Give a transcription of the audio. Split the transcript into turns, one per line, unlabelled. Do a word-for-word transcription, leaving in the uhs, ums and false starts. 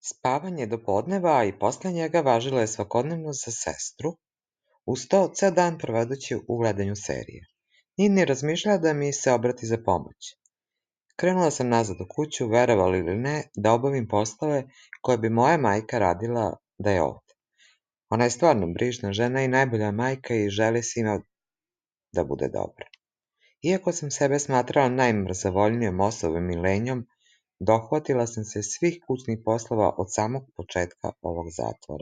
Spavanje do podneva, a i posle njega važilo je svakodnevno za sestru, uz to ceo dan provedući u gledanju serije. Nije ni razmišljala da mi se obrati za pomoć. Krenula sam nazad u kuću, verovali ili ne, da obavim poslove koje bi moja majka radila da je ovde. Ona je stvarno brižna žena i najbolja majka i želi svima da bude dobro. Iako sam sebe smatrala najmrzavoljnijom osobom i lenjom, dohvatila sam se svih kućnih poslova od samog početka ovog zatvora.